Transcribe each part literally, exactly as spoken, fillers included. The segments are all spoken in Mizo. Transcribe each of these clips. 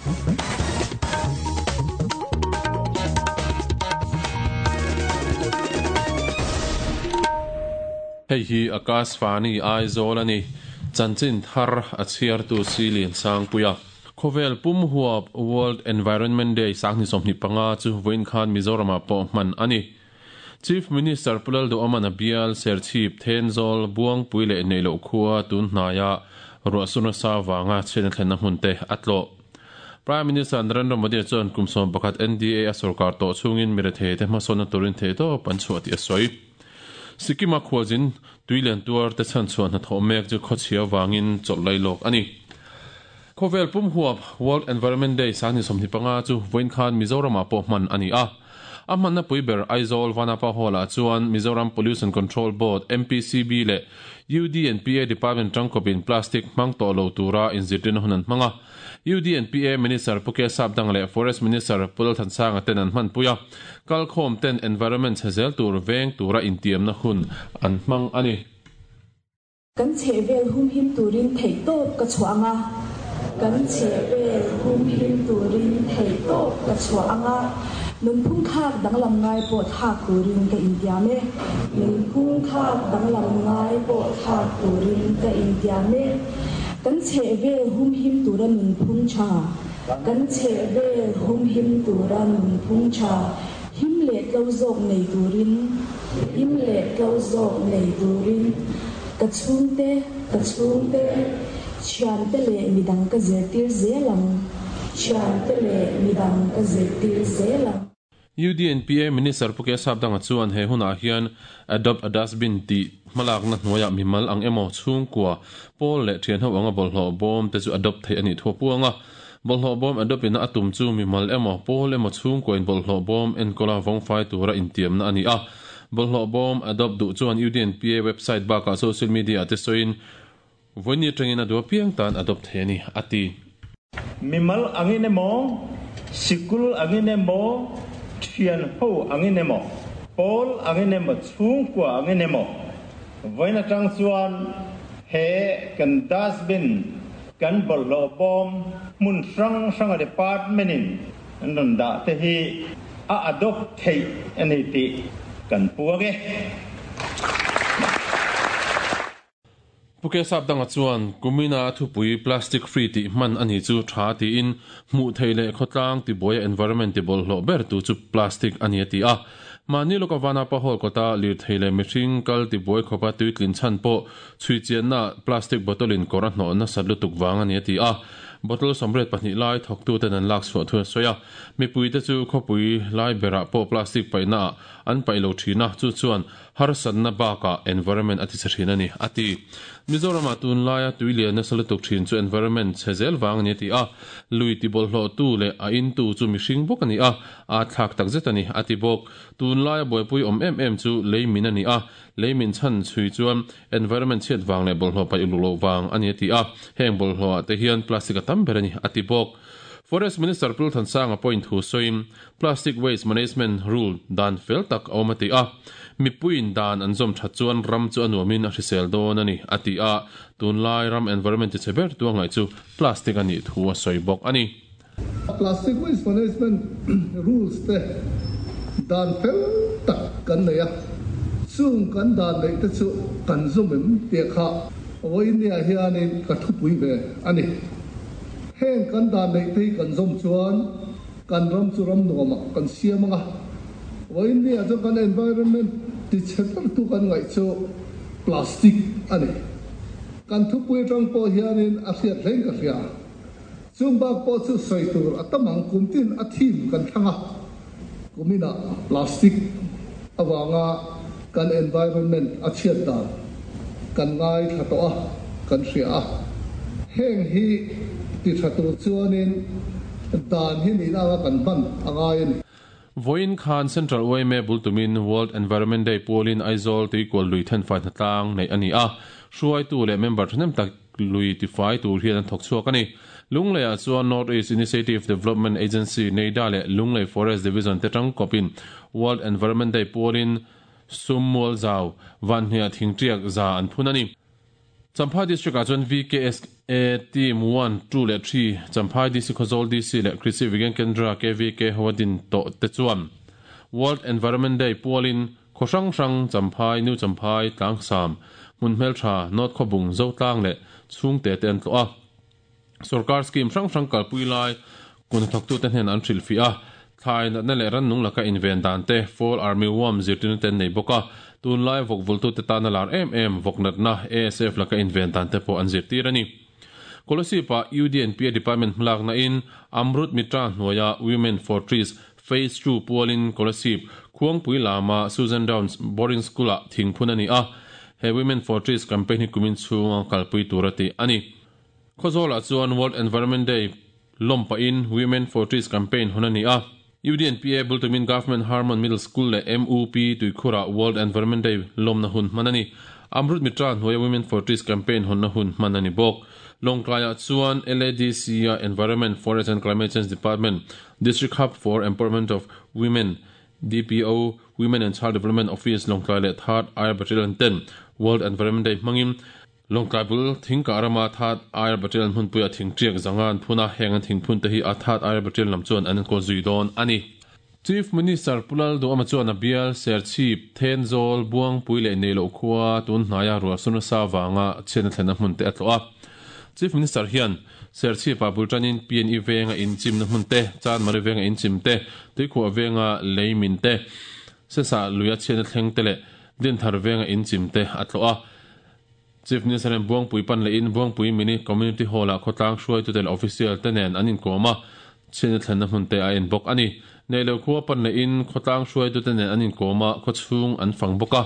Hei hi Akashvani Aizawl ani chanchin thar a chhiar tu Silian Sangpuia Khovel pum huap World Environment Day sangni somni panga chu voin khan Mizoram ah pawh hman ani Chief Minister Pulal do Amana Bial Serchhip Thenzawl Buangpui leh neilo khua tun hnaiah ruahsuna sa wanga chen thlen na hmun te atlo Prime Minister Narendra Modi chuan kumsom pakhat N D A a sarkar to chungin mirethe te hmasawna turin the to panchhuah ti a sawi Sikkim a khualzin tuilen tuar te chan chuan hna thawh mek chu khawchhia wangin chawlh lawk ani Khovel pum huap World Environment Day sangni somni panga chu voin khan Mizoram ah pawh hman ani a a hmanna pui ber Aizawl Vanapa Hall ah chuan Mizoram Pollution Control Board M P C B leh U D and P A Department tangkawpin plastic hmang tawh lo tura inzirtirna hun an hmang a U D and P A Minister Puke Sapdang leh Forest Minister Pulal Thansanga ten an hman pui a kalkhawm ten environment chhezel tur veng tura intiamna hun an hmang ani Kan chhevel hum him turin thei tawp ka chhuah anga kan chhevel hum him turin thei tawp ka chhuah anga nunphung khak danglam ngai pawh thlak turin ka intiam e nunphung khak danglam ngai pawh thlak turin ka intiam e kan chhevel hum him tura nunphung tha kan chhevel hum him tura nunphung tha him leh tlo zawk nei turin him leh tlo zawk nei turin ka chhungte ka chhungte thiante leh midang ka zirtir zelang thiante leh midang ka zirtir zelang U D and P A Minister Puke Sapdanga chuan he hunah hian adopt a dustbin ti hmalak na hnuaiah mimal ang emaw chhungkua pawl leh thian ho anga bawlhhlawh bawm te chu adopt thei ani thu puanga bawlhhlawh bawm adopt in a tum chu mimal emaw pawl emaw chhungkua in bawlhhlawh bawm enkawl vawngfai tura intiamna ani a bawlhhlawh bawm adopt duh chuan U D and P A website bakah social media te sawiin voini atangin a dua piang tan adopt thei ani ati mimal angin emaw sikul angin emaw thian ho angin emaw pawl angin emaw chhungkua angin emaw voina tang chuan he kan dustbin kan bawlhhlawh bawm hmun hrang hrang a department in an rawn dah te hi a adopt thei ani tih kan puang e Puke Sapdanga chuan kumina thupui plastic free ti hman ani chu tha tiin hmuh thei leh khawtlang ti buai environment ti bawlhhlawh ber tu chu plastic ani a ti a mahni lawka Vanapa Hall kawta lir thei leh mihring kal ti buai khawpa tuitlin chhan pawh chhui chianna plastic bottle in kawr a hnawh nasat lutuk wang ani a ti a bottle sawmriat pahnih lai thawktu ten an lak chhuah thu a sawi a mipui te chu khawpui lai berah pawh plastic paihna ah an paih lo thina chu chuan harsatna bakah environment a ti chhe thin ani a ti Mizoram ah tun laia tuilian nasa lutuk thin chu environment chhezel wang ani a ti a lui ti bawlhhlawh tu leh a in tu chu mihring bawk ani a a thlak tak zet ani a ti bawk tun laia buaipui awm em em chu leimin ani a leimin chhan chhui chuan environment chhiat wang leh bawlhhlawh paih uluk loh wang ani a ti a heng bawlhhlawh ah te hian plastic a tam ber ani a ti bawk Forest Minister Pul Thansanga point thu sawiin plastic waste management rule dan fel tak a awm a ti a mipuiin dan an zawm that chuan ram chu a nuamin a hrisel dawn ani a ti a tunlai ram environment ti chhe ber tu angai chu plastic ani thu a sawi bawk ani Plastic waste management rules te dan fel tak kan nei a chung kan dan nei te chu kan zawm em te kha voinia hianin ka thupui ve ani heng kan dan nei te kan zawm chuan kan ram chu ram nuama kan siam anga voinia chu kan environment ti chhe ber tu kan ngai chu plastic ani kan thupui tang pawh hianin a hriat hleng ka hria chung bak pawh chu sawi tur a tamang kumtin a thim kan thanga kumina plastic awanga kan environment a chhiat dan kan ngai thla tawh a kan hria a heng hi ti tha tur chuanin dan hi ni anga kan hman angai ani Voin khan Central U M A bultumin World Environment Day pualin Aizawl tuikual lui then fai tlang nei ani a hruai tu leh member thahnem tak lui ti fai tur hian an thawk chhuak ani Lunglei ah chuan North East Initiative Development Agency NEIDA leh Lunglei Forest Division te tang kawpin World Environment Day pualin Summual zau vanhnia thingtiak za an phun ani Champhai District ah chuan V K S A Team one, two leh three Champhai D C Khawzawl D C leh Krishi Vigyan Kendra K V K ho a din tawh te chuan World Environment Day pualin khaw hrang hrang Champhai, New Champhai, Tlangsam, hmun hmeltha, North Khawbung, Zotlang leh chhungte te an tlawh a. Sorkar scheme hrang hrang kalpui lai kun thawktute hnen an hrilhfiah a. Thlai natna leh rannung laka inven dan te, Fall Army Worm zirtirna te an nei bawk a. Tunlai vawk vultute tana lar em em vawk natna A S F laka inven dan te pawh an zirtir a ni. Kolasib ah U D N P A Department hmalakna in Amrut Mitra hnuaia Women for Trees Phase two pualin Kolasib Khuangpui lama Susan Downs Boarding School ah thingphun a ni a. He Women for Trees campaign hi kumin chhunga kalpui tur a tih a ni. Khawzawl ah chuan World Environment Day lawmpa in Women for Trees campaign hawn a ni a. U D N P A bultumin Government Hermon Middle School leh M U P Tuikhurah World Environment Day lawmna hun hman a ni. Amrut Mitra hnuaia Women for Trees campaign hawnna hun hman a ni bawk. Lawngtlai ah chuan L A D C a Environment, Forest and Climate Change Department, District Hub for Empowerment of Women, D P O, Women and Child Development Office Lawngtlai leh Third Air Battalion ten World Environment Day hmangin Lawngtlai bul thingkah rama Third Air Battalion hmunpuia thingṭiak zanga an phun a. Heng an thingphun te hi a Third Air Battalion lam chuan an enkawl zui dawn a ni. Chief Minister Pu Lalduhoma chuan a bial Serchhip, Thenzawl, Buangpui leh Neihloh khua tun hnaia ruah suna sa vanga chhiatna thlenna hmun te a tlawh a. Chief Minister hian Serchhip ah bultanin P N E venga inchimna hmun te, Chanmari venga inchim te, Tuikhuah venga leimin te, Sesa luia chhiatna thleng te leh Dinthar venga inchim te a tlawh a. Chief Minister in Buangpui pan leh in Buangpui Mini Community Hall ah khawtlang hruaitu te leh official te nen an inkawm a, chhiatna thlenna hmun te a en bawk a ni. Neihloh khua pan leh in khawtlang hruaitu te nen an inkawm a, khawchhung an fang bawk a.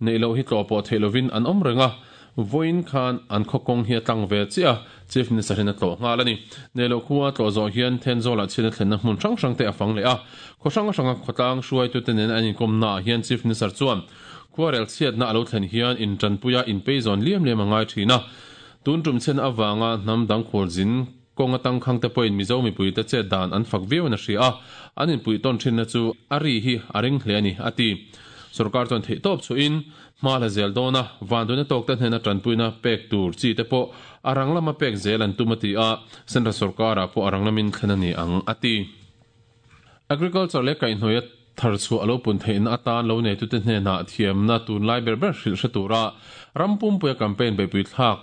Neihloh hi tlawh pawh theih lovin an awm reng a. Vawiin khan an khawkawng hi a tlang ve chiah a, Chief Minister hian a tlawh nghal a ni. Neihloh khua tlawh zawh hian Thenzawl ah chhiatna thlenna hmun hrang hrang te a fang leh a. Khaw hrang hranga khawtlang hruaitu te nen an inkawmna ah hian Chief Minister chuan khuarel chhiatna a lo thlen hian intanpuia inpeizawn liam liam a ngai thin a. Tun tum chhiatna avanga hnam dang khualzin kawnga tangkhang te pawhin Mizo mipui te chet dan an fak viau in a hria a. An inpui tawn thinna chu a ri hi a ring hle a ni a ti. Sorkar chuan theihtawp chuin hma la zel dawn a, vanduaina tawk te hnena tanpuina pek tur chi te pawh a rang lama pek zel an tum a ti a. Central sorkarah pawh a rang lamin thlen a ni ang a ti. Agriculture leh kaihhnawih a thar chhuah a lo pun theihna atan lo neitute hnenah thiamna tunlai ber ber hrilh hre tura rampumpuia campaign beipui thlak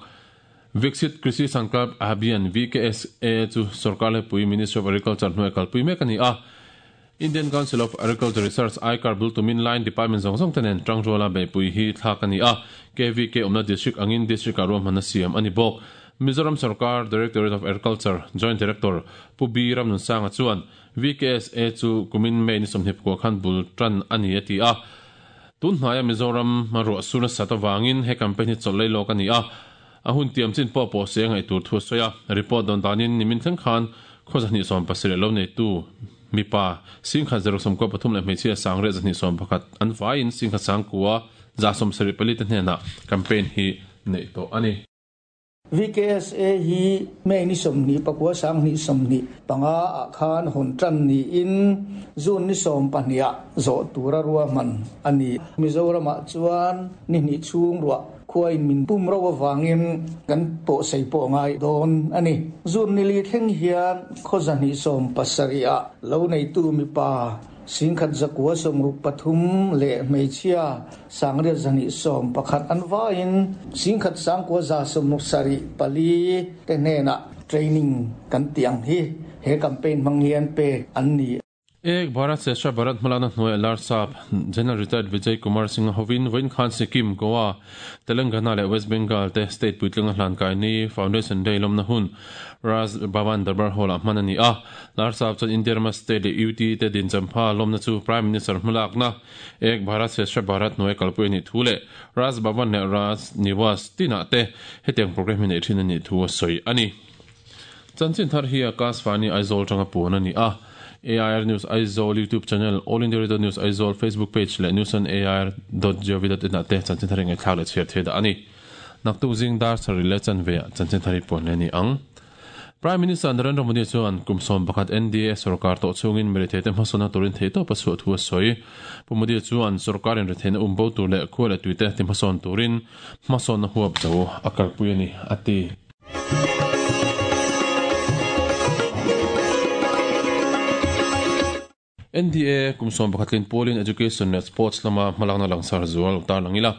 Viksit Krishi Sankalp Abhiyan V K S A chu sorkar lepui Ministry of Agriculture hnuai kalpui mek a ni a. Indian Council of Agriculture Research ICAR bultumin line department zawng zawng te nen tangruala beipui hi thlak a ni a. K V K awmna district angin district ah ruahmanna siam a ni bawk. Mizoram Sarkar Directorate of Agriculture Joint Director Pu B Ramnunsanga chuan V K S A chu kumin May ni sawmhnih pakua khan bul tan a ni a ti a. Tun hnaia Mizoram ruah sur nasa awangin he campaign hi chawlh lei lawk a ni a. A hun tiam chin pawh pawh se ngaih tur thu a sawi a. Report dawn danin nimin thleng khan khaw zahnih sawm pasarih lo neitu mipa singkhat zero sawmkua pathum leh hmeichhia sangriat zahnih sawm pakhat an vaiin singkhat sangkua za sawm sarih pali te hnenah campaign hi neih tawh a ni. V K S A hi May ni sawmhnih pakua sanghnih sawmhnih panga ah khan hawn tan niin June ni sawm pahnih ah zawh tura ruahman a ni. Mizoramah chuan ni hnih chhung ruah khuain min pum ro awangin kan pawh sei pawh ngai dawn a ni. June ni li thleng hian khaw zahnih sawm pasarih ah lo neitu mipa singkhat zakua sawmruk pathum leh hmeichhia sangriat zahnih sawm pakhat an vaiin singkhat sangkua za sawmruk sarih pali te hnenah training kan ti ang hi he campaign hmang hian pek an ni. Ek Bharat Shreshtha Bharat hmalakna hnuai Larsap General Retired Vijay Kumar Singh hovin vawiin khan Sikkim, Goa, Telangana leh West Bengal te state puitlinga hlan kai ni Foundation Day lawmna hun Raj Bhavan Darbar Hall ah hman a ni a. Larsap chuan India rama state leh U T te din champha lawmna chu Prime Minister hmalakna Ek Bharat Shreshtha Bharat hnuai kalpui a nih thu leh Raj Bhavan leh Raj Niwas tinah te hetiang program hi neih thin a nih thu a sawi a ni. Chanchin thar hi Akashvani Aizawl tanga puan a ni a. A I R News Aizawl YouTube channel, All India Radio News Aizawl Facebook page leh news on A I R dot gov dot in ah te chanchin thar ngai thlak leh chhiar thei dah a ni. Naktuk zing dar sarih leh chanve ah chanchin thar hi puan leh ni ang. Prime Minister Narendra Modi chuan kum sawm pakhat N D A sarkar tawh chungin military hmasawna turin thei tawp a chhuah thu a sawi. Pu Modi chuan sarkarin retheihna umbo tur leh khua leh tuite ti hmasawn turin hmasawnna huap zo a kalpui a ni a ti. N D A kum sawm pakhatlin Polin Education leh Sports lama hmalakna langsar zual tar langila.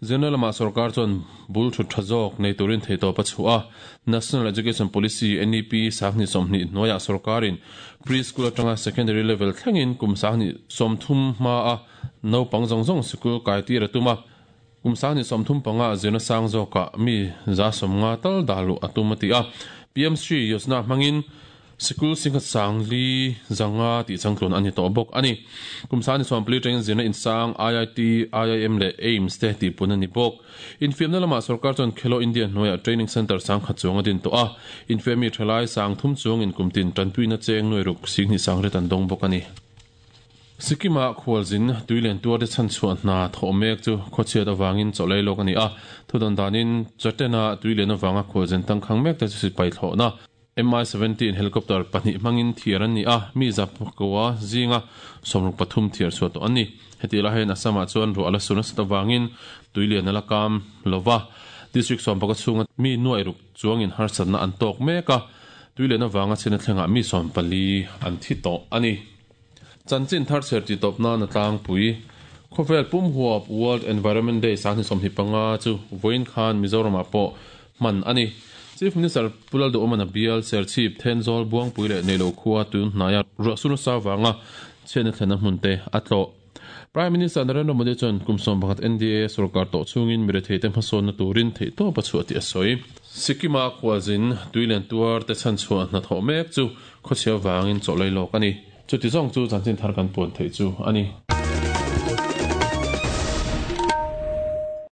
General lama sarkar chuan bul thut tha zawk nei turin thei tawp a chhuah a. National Education Policy N E P sangni sawmhnih hnuaiah sarkarin preschool atanga secondary level thlengin kum sangni sawmthum hma a naupang zawng zawng sikul kai tir a tum a. Kum sangni sawmthum panga zirna sang zawkah mi za sawmnga tal dahluh a tum a ti a. P M Shri Yojana hmangin Sikul singkhat sang li zanga ti changtlun ani to bawk ani. Kum sani sawm pli tangin zirna insang I I T, I I M leh AIMS te ti pun ani bawk. Infiamna lama sarkar chuan Khelo India hnuaiah training center sang khat chuang a din tawh a. Infiammi thalai sang thum chuang in kumtin tanpuina cheng nuai ruk singni sang ret an dawng bawk ani. Sikima khualzin tuilen tuar te chan chuan hna thaw mek chu khawchhiat awangin chawlei lawk ani a. Thudan danin chatena tuilen awanga khualzin tangkhang mek te chu sipai thlawhna M I seventeen helicopter pahnih hmangin thiar an ni a, mi zap kowa zinga sawmruk pathum thiar chhuah tawh an ni. Heti la hen Assam ah chuan ruah la suna sat awangin tuilian a la kam lova. District sawm pakhat chhunga mi nuai ruk chuangin harsatna an tawk mek a, tuilian awanga chhina thlengah mi sawm pali an thi tawh ani. Chanchin thar cher ti tawpna na tlangpui khawvel pum huap World Environment Day sangni sawmhnih panga chu vawiin khan Mizoram ah pawh hman ani. Chief Minister Pulal Duhawmana bial Serchhip Thenzawl Buangpui leh Neilo khua tun hnaia ruah suna sa wanga chhiatna thlena hmun te a tlawh. Prime Minister Narendra Modi chuan kum sawm pakhat N D A sarkar tawh chungin military te hmasawnna turin theih tawp a chhuah tih a sawi. Sikima khualzin tuilen tuar te chan chhuah hna thawh mek chu khawchhia wangin chawlei lawk ani. Chuti zawng chu chanchin thar kan puan theih chu ani.